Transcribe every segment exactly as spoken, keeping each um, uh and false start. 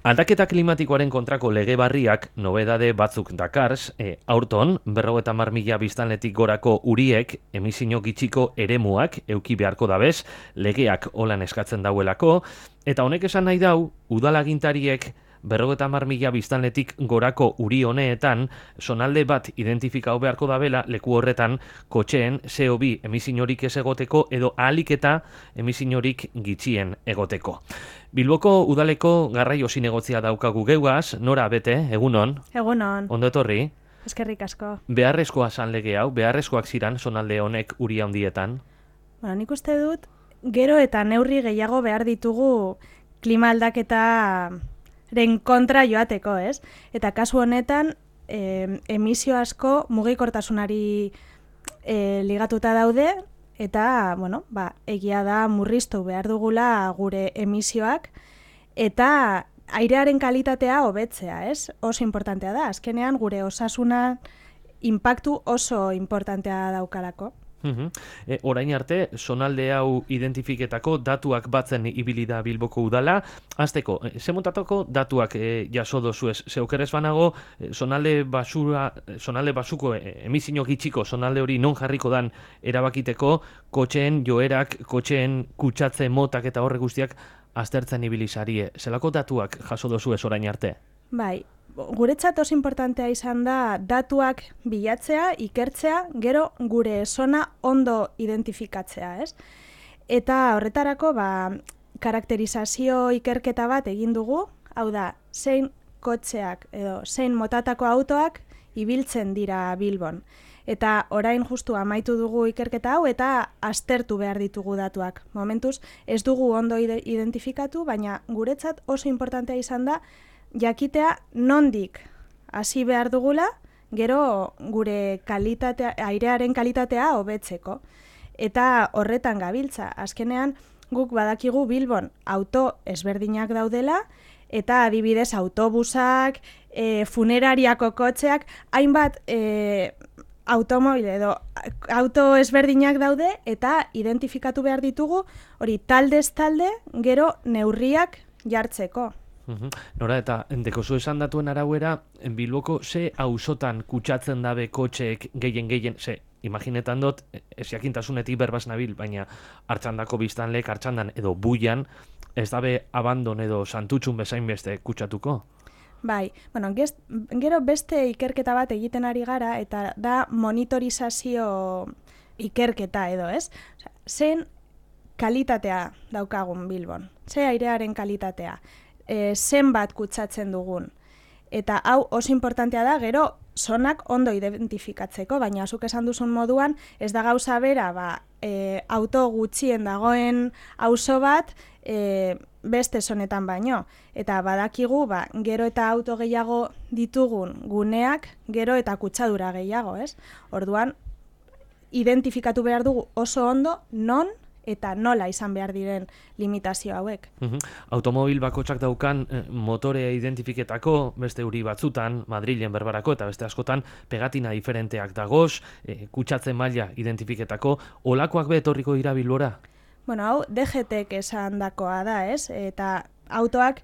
Aldaketa klimatikoaren kontrako lege barriak nobedade batzuk dakars, e, aurton, berrogeita hamar mila biztanletik gorako uriek emisio gitxiko eremuak euki beharko dabez, legeak holan eskatzen dauelako, eta honek esan nahi dau, udalagintariek berrogeita hamar mila biztanletik gorako uri honeetan, zonalde bat identifikau beharko dabela leku horretan kotxeen C O bi emisiorik ez egoteko edo ahalik eta emisiorik gitxien egoteko. Bilboko udaleko garraio zinegotzia daukagu geugaz, Nora Bete, egunon? Egunon. Ondo etorri? Eskerrik asko. Beharrezkoa zan lege hau, beharrezkoak ziran zonalde honek uri handietan? Bueno, nik uste dut, gero eta neurri gehiago behar ditugu klima aldaketaren kontra joateko, ez? Eta kasu honetan, eh, emisio asko mugikortasunari eh, ligatuta daude, eta, bueno, ba, egia da murriztu behar dugula gure emisioak, eta airearen kalitatea hobetzea, ez? Oso importantea da, azkenean gure osasuna inpaktu oso importantea daukalako. Uhum. E, orain arte, zonalde hau identifiketako datuak batzen ibili da Bilboko udala. Azteko, e, ze montatako datuak e, jaso dozuez? Zeukerez banago, e, zonalde basura, zonalde basuko e, emisio gitxiko zonalde hori non jarriko dan erabakiteko, kotxeen joerak, kotxeen kutsatze motak eta horre guztiak aztertzen ibili zarie. Zelako datuak jaso dozuez orain arte? Bai, guretzat oso importantea izan da datuak bilatzea, ikertzea, gero gure zona ondo identifikatzea, ez? Eta horretarako, ba, karakterizazio ikerketa bat egin dugu, hau da, zein kotxeak edo zein motatako autoak ibiltzen dira Bilbon. Eta orain justu amaitu dugu ikerketa hau eta aztertu behar ditugu datuak. Momentuz ez dugu ondo identifikatu, baina guretzat oso importantea izan da jakitea nondik hasi behar dugula, gero gure kalitatea, airearen kalitatea hobetzeko. Eta horretan gabiltza, azkenean guk badakigu Bilbon auto ezberdinak daudela, eta adibidez autobusak, e, funerariako kotxeak, hainbat e, automobil edo auto ezberdinak daude, eta identifikatu behar ditugu, hori taldez talde, gero neurriak jartzeko. Uhum. Nora, eta dekozu esan datuen arauera, Bilboko ze auzotan kutsatzen dabe kotxeek gehien gehien, ze, imaginetan dut, ez jakintasunetik berbaz nabil, baina hartxandako biztanlek, hartxandan edo buian, ez dabe abandon edo santutxun bezain beste kutsatuko? Bai, bueno, gez, gero beste ikerketa bat egiten ari gara, eta da monitorizazio ikerketa edo, ez? Osea, zen kalitatea daukagun Bilbon, ze airearen kalitatea. E, zenbat kutsatzen dugun. Eta hau oso importantea da, gero zonak ondo identifikatzeko, baina zuk esan duzun moduan, ez da gauza bera, ba, e, auto gutxien dagoen auzo bat, e, beste zonetan baino. Eta badakigu, ba, gero eta auto gehiago ditugun guneak, gero eta kutsadura gehiago, ez? Orduan, identifikatu behar dugu oso ondo, non eta nola izan behar diren limitazio hauek. Uhum. Automobil bakotsak daukan eh, motorea identifiketako, beste uri batzutan, Madrilen berbarako eta beste askotan pegatina diferenteak dagoz, eh, kutsatze maila identifiketako, olakoak be etorriko dira Bilbora? Bueno, hau D G T-ek esan dakoa da, ez? Eta autoak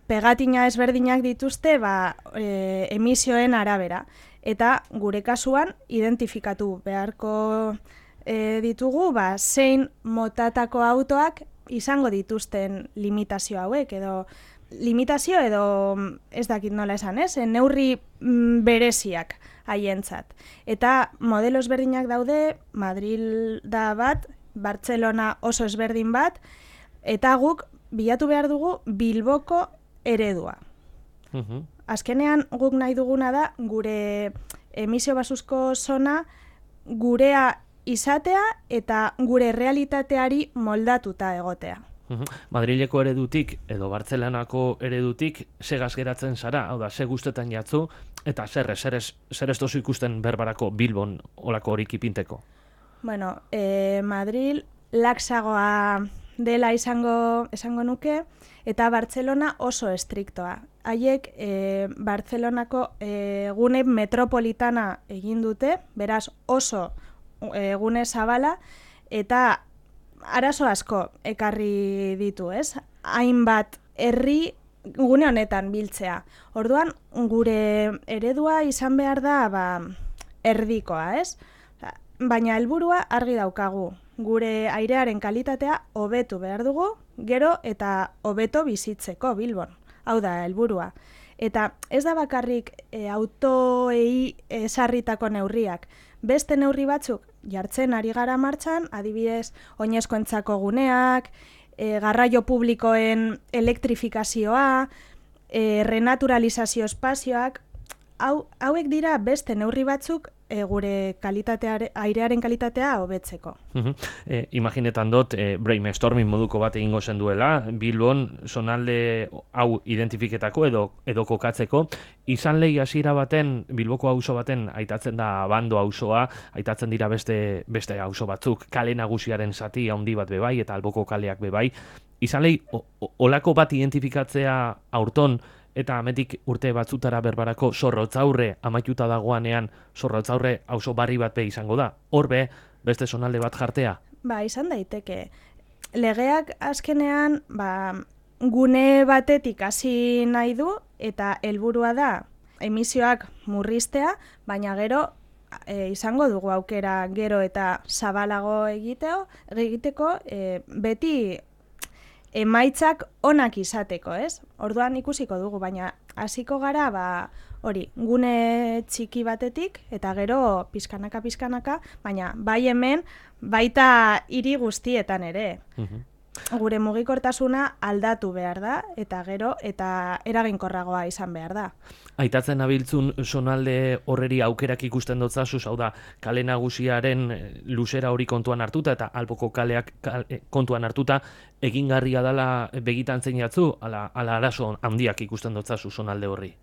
pegatina ezberdinak dituzte ba, e, emisioen arabera. Eta gure kasuan identifikatu beharko E, ditugu, ba, zein motatako autoak izango dituzten limitazio hauek, edo limitazio edo ez dakit nola esan, ez? E, neurri mm, bereziak haientzat. Eta modelo ezberdinak daude, Madril da bat, Bartzelona oso ezberdin bat, eta guk bilatu behar dugu Bilboko eredua. Uhum. Azkenean guk nahi duguna da gure emisio basuzko zona gurea izatea eta gure realitateari moldatuta egotea. Uhum. Madrileko eredutik edo Bartzelonako eredutik segaz geratzen zara, hau da, ze guztetan jatzu, eta zer ez, zer ez, zer ez dozu ikusten berbarako Bilbon olako horik ipinteko? Bueno, e, Madril laxagoa dela izango, esango nuke, eta Bartzelona oso estriktoa. Haiek e, Bartzelonako e, gune metropolitana egin dute, beraz oso egune zabala, eta arazo asko ekarri ditu, ez? Hainbat herri gune honetan biltzea. Orduan, gure eredua izan behar da ba, erdikoa, ez? Baina helburua argi daukagu. Gure airearen kalitatea hobetu behar dugu, gero eta hobeto bizitzeko Bilbon. Hau da helburua. Eta ez da bakarrik e, autoei esarritako neurriak. Beste neurri batzuk jartzen ari gara martxan, adibidez, oinezkoentzako guneak, e, garraio publikoen elektrifikazioa, e, renaturalizazio espazioak, hau, hauek dira beste neurri batzuk e, gure kalitateare, airearen kalitatea hobetzeko. Uh-huh. E, imaginetan dut, e, brainstorming moduko bat egingo zen duela, Bilbon zonalde hau identifiketako edo, edo kokatzeko, izan lehi hasiera baten, Bilboko auzo baten aitatzen da Abando auzoa, aitatzen dira beste, beste auzo batzuk, kale nagusiaren zati handi bat bebai eta Alboko kaleak bebai, izan lehi olako bat identifikatzea aurton, eta ametik urte batzutara berbarako Zorrotzaurre amaituta dagoanean Zorrotzaurre auzo barri bat be izango da. Hor be, beste zonalde bat jartea? Ba, izan daiteke. Legeak azkenean ba, gune batetik hasi nahi du eta helburua da emisioak murriztea, baina gero e, izango dugu aukera gero eta zabalago egiteo, egiteko e, beti emaitzak onak izateko, ez? Orduan ikusiko dugu, baina hasiko gara, ba, hori, gune txiki batetik, eta gero pizkanaka pizkanaka, baina bai hemen, baita hiri guztietan ere. Uh-huh. Gure mugikortasuna aldatu behar da, eta gero, eta eraginkorragoa izan behar da. Aitatzen nabiltzun zonalde horreri aukerak ikusten dotzazu, hau da, kale nagusiaren luzera hori kontuan hartuta, eta Alboko kaleak kale, kontuan hartuta, egingarria dela begitan zeinatzu, ala, ala arazo handiak ikusten dotzazu zonalde horri?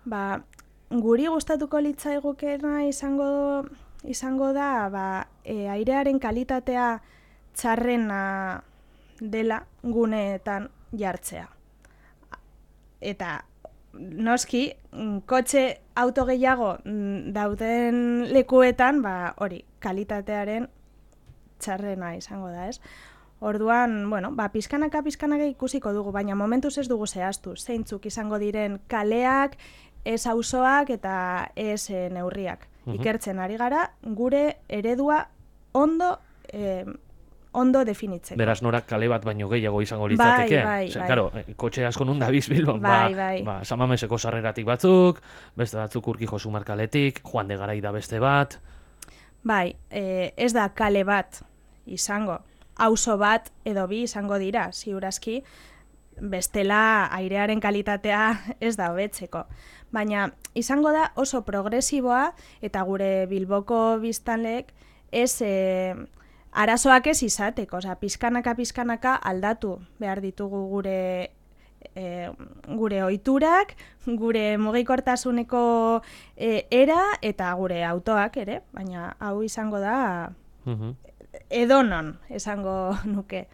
Ba, guri gustatuko litzaigukena izango, izango da, ba, e, airearen kalitatea txarrena dela guneetan jartzea. Eta noski, kotxe auto gehiago dauden lekuetan, ba, hori, kalitatearen txarrena izango da, ez? Orduan, bueno, ba, pizkanaka pizkanaka ikusiko dugu, baina momentuz ez dugu zehaztu. Zeintzuk izango diren kaleak, ez auzoak eta ez e, neurriak. Uh-huh. Ikertzen ari gara, gure eredua ondo e, ondo definitzeko. Beraz, norak kale bat baino gehiago izango litzateke. Bai, bai, Zer, bai. Karo, kotxe asko nun da Bilbon. Bai, ba, bai. Ba, Samameseko sarreratik batzuk, beste batzuk Urkijo Sumarkaletik, Juan de Garai da beste bat. Bai, e, ez da kale bat izango. Auzo bat edo bi izango dira, ziurazki, bestela airearen kalitatea ez da hobetzeko. Baina izango da oso progresiboa eta gure Bilboko biztanleek ez e, arazoak ez izateko, osea, pizkanaka pizkanaka aldatu behar ditugu gure e, gure ohiturak, gure mugikortasuneko e, era eta gure autoak ere, baina hau izango da uh-huh. edonon esango nuke.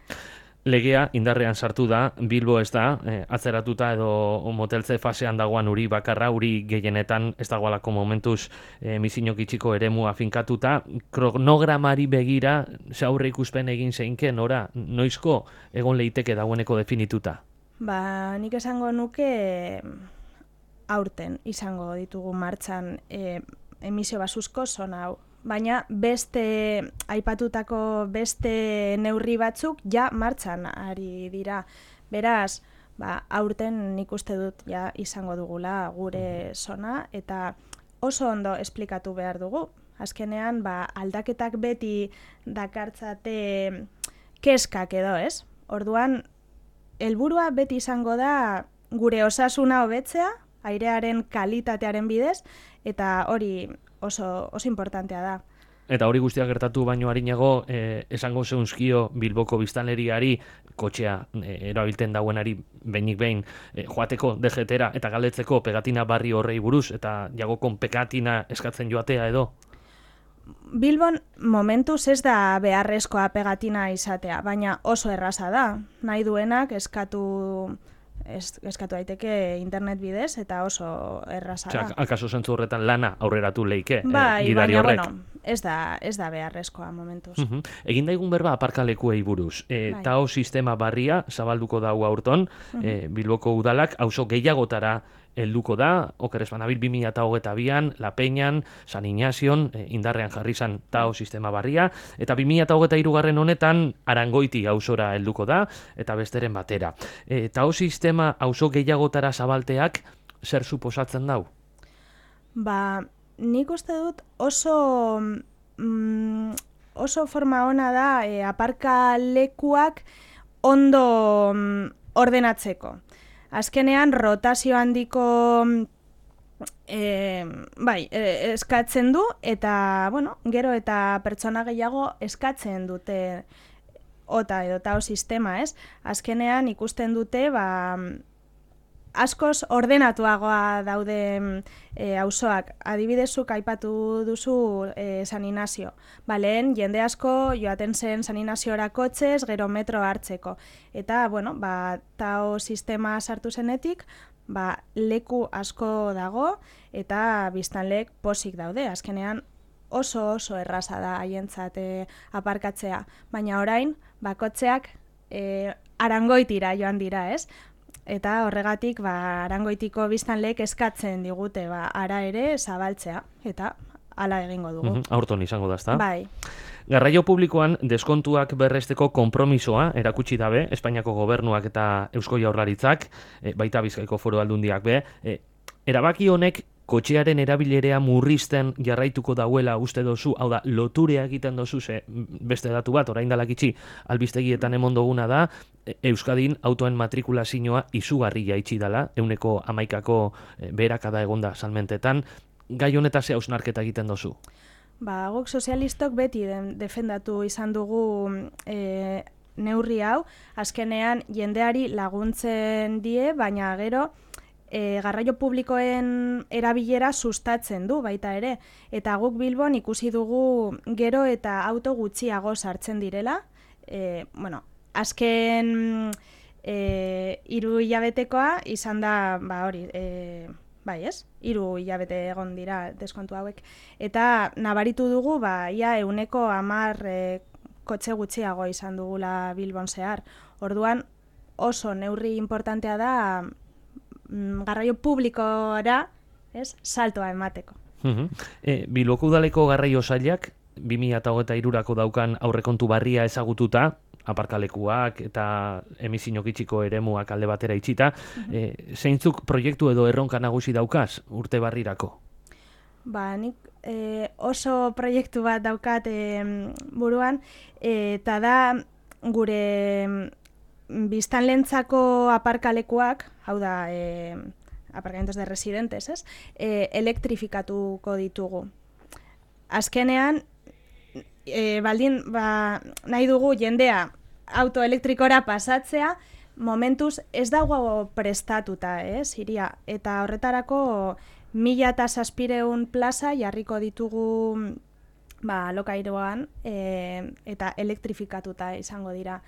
Legea indarrean sartu da, Bilbo ez da, eh, atzeratuta edo moteltze fasean dagoan uri bakarra, uri gehienetan ez dagoalako momentuz eh, misinok itxiko eremua finkatuta, kronogramari begira, zaurre ikuspen egin zeinke, nora, noizko egon leiteke dagoeneko definituta? Ba, nik esango nuke aurten izango ditugu martxan eh, emisio basuzko zona hau. Baina beste aipatutako beste neurri batzuk ja martxan ari dira. Beraz, ba, aurten nik uste dut ja izango dugula gure zona eta oso ondo esplikatu behar dugu. Azkenean, ba, aldaketak beti dakartzate keskak edo, ez? Orduan, helburua beti izango da gure osasuna hobetzea, airearen kalitatearen bidez, eta hori oso, oso importantea da. Eta hori guztiak gertatu baino harinago, eh, esango zeunzkio Bilboko biztanleriari, kotxea eh, erabilten dauenari behinik behin, eh, joateko D G T-era eta galdetzeko pegatina barri horrei buruz, eta jagokon pegatina eskatzen joatea edo? Bilbon momentuz ez da beharrezkoa pegatina izatea, baina oso erraza da. Nahi duenak eskatu ez, eskatu daiteke internet bidez eta oso erraza da. Osea, akaso zentzu horretan lana aurreratu leike bai, eh, gidari baina, horrek. Bueno, ez da, ez da beharrezkoa momentuz. Uh -huh. Egin daigun berba aparkalekuei buruz. E, Bai. Tao sistema barria zabalduko dago aurton, Uh -huh. e, Bilboko udalak auzo gehiagotara helduko da, oker ez banabil bi mila hogeita bian, La Peñan, San Ignazion, e, indarrean jarri zan Tao sistema barria, eta bi mila hogeita hirugarren honetan Arangoiti auzora helduko da, eta besteren batera. E, Tao sistema auzo gehiagotara zabalteak zer suposatzen dau? Ba, nik uste dut oso mm, oso forma ona da e, aparkalekuak ondo mm, ordenatzeko. Azkenean rotazio handiko e, bai, e, eskatzen du eta, bueno, gero eta pertsona gehiago eskatzen dute ota edo Tao sistema, ez? Azkenean ikusten dute, ba, askoz ordenatuagoa daude e, auzoak. Adibidezuk aipatu duzu e, San Ignacio. Ba, lehen jende asko joaten zen San Ignaziora kotxez, gero metro hartzeko. Eta, bueno, ba, Tao sistema sartu zenetik, ba, leku asko dago eta biztanleek posik daude. Azkenean oso oso erraza da haientzat e, aparkatzea. Baina orain, ba, kotxeak e, Arangoitira joan dira, ez? Eta horregatik, ba, Arangoitiko biztanleek eskatzen digute, ba, ara ere zabaltzea, eta hala egingo dugu. Uh-huh. Aurton izango da, ezta? Bai. Garraio publikoan deskontuak berresteko konpromisoa erakutsi dabe, Espainiako gobernuak eta Eusko Jaurlaritzak, e, baita Bizkaiko Foru Aldundiak be, e, erabaki honek kotxearen erabilerea murrizten jarraituko dauela uste dozu, hau da, loturea egiten dozu, ze beste datu bat, orain dalakitzi albistegietan emon duguna da, Euskadin autoen matrikulazioa izugarri jaitsi dala, euneko hamaikako beherakada egonda salmentetan, gai honetaz ze hausnarketa egiten dozu? Ba, guk sozialistok beti den, defendatu izan dugu e, neurri hau, azkenean jendeari laguntzen die, baina gero e, garraio publikoen erabilera sustatzen du baita ere. Eta guk Bilbon ikusi dugu gero eta auto gutxiago sartzen direla, e, bueno, azken e, hiru hilabetekoa izan da, ba hori, e, bai ez, hiru hilabete egon dira deskontu hauek. Eta nabaritu dugu, ba, ia euneko hamar e, kotxe gutxiago izan dugula Bilbon zehar. Orduan oso neurri importantea da mm, garraio publikora, ez, saltoa emateko. Uh-huh. e, Bilboko udaleko garraio sailak bi mila hogeita hirurako daukan aurrekontu barria ezagututa, aparkalekuak eta emisio gitxiko eremuak alde batera itxita, uh-huh. e, zeintzuk proiektu edo erronka nagusi daukaz urte barrirako? Ba, nik e, oso proiektu bat daukat e, buruan, eta da gure biztanlentzako aparkalekuak, hau da, e, aparkamentos de residentes, ez? E, elektrifikatuko ditugu. Azkenean, E, baldin, ba, nahi dugu jendea autoelektrikora pasatzea, momentuz ez dago prestatuta, ez, iria. Eta horretarako mila eta zazpireun plaza jarriko ditugu ba, lokairoan e, eta elektrifikatuta izango dira.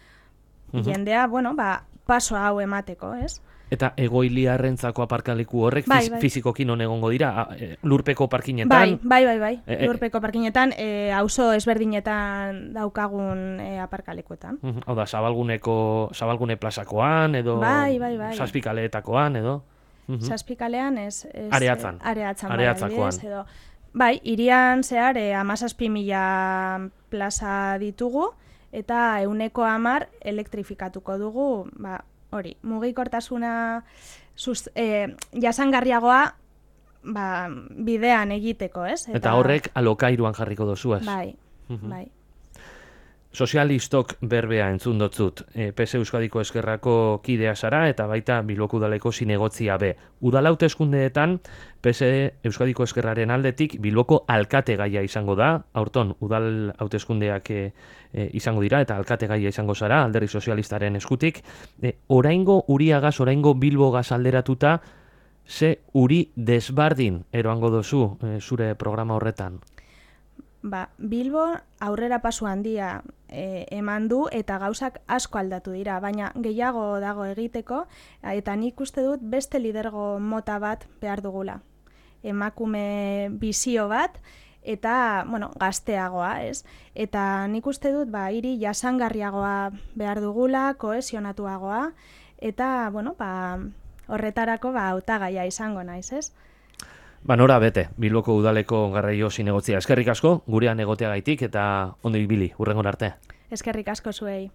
Uh-huh. Jendea, bueno, ba, paso hau emateko, ez? Eta egoiliarrentzako aparkaleku horrek bai, bai. fizikoki non egongo dira, lurpeko parkinetan? Bai, bai, bai, bai. E, lurpeko parkinetan, e, auzo ezberdinetan daukagun e, aparkalekuetan. Uh, hau da, zabalguneko, zabalgune plazakoan, edo bai, bai, bai. zazpikaleetakoan, edo? Uh-huh. Zazpikalean, ez... ez areatzan. Areatzan, areatzakoan. Bai, edo, bai, irian zehar, e, amazazpi mila plaza ditugu, eta euneko hamar elektrifikatuko dugu, ba, hori, mugikortasuna sus, eh, jasangarriagoa ba, bidean egiteko, ez? Eta, eta horrek alokairuan jarriko dozuaz. Bai, uh-huh. bai. Sozialistok berbea entzun dotzut. E, P S Euskadiko Ezkerrako kidea zara eta baita Bilboko udaleko zinegotzia be. Udal hauteskundeetan P S Euskadiko Ezkerraren aldetik Bilboko alkate gaia izango da. Aurton udal hauteskundeak e, e, izango dira eta alkate gaia izango zara Alderdi Sozialistaren eskutik. E, oraingo Uriagaz, oraingo Bilbogaz alderatuta, ze uri desbardin eroango dozu e, zure programa horretan? ba, Bilbo aurrera pasu handia e, eman du eta gauzak asko aldatu dira, baina gehiago dago egiteko eta nik uste dut beste lidergo mota bat behar dugula. Emakume bizio bat eta, bueno, gazteagoa, ez? Eta nik uste dut, ba, hiri jasangarriagoa behar dugula, kohesionatuagoa, eta, bueno, ba, horretarako, ba, hautagaia izango naiz, ez? Ba, nora bete, Bilboko udaleko garraio zinegotzia. Eskerrik asko, gurean egoteagaitik eta ondo ibili, hurrengon arte. Eskerrik asko zuei.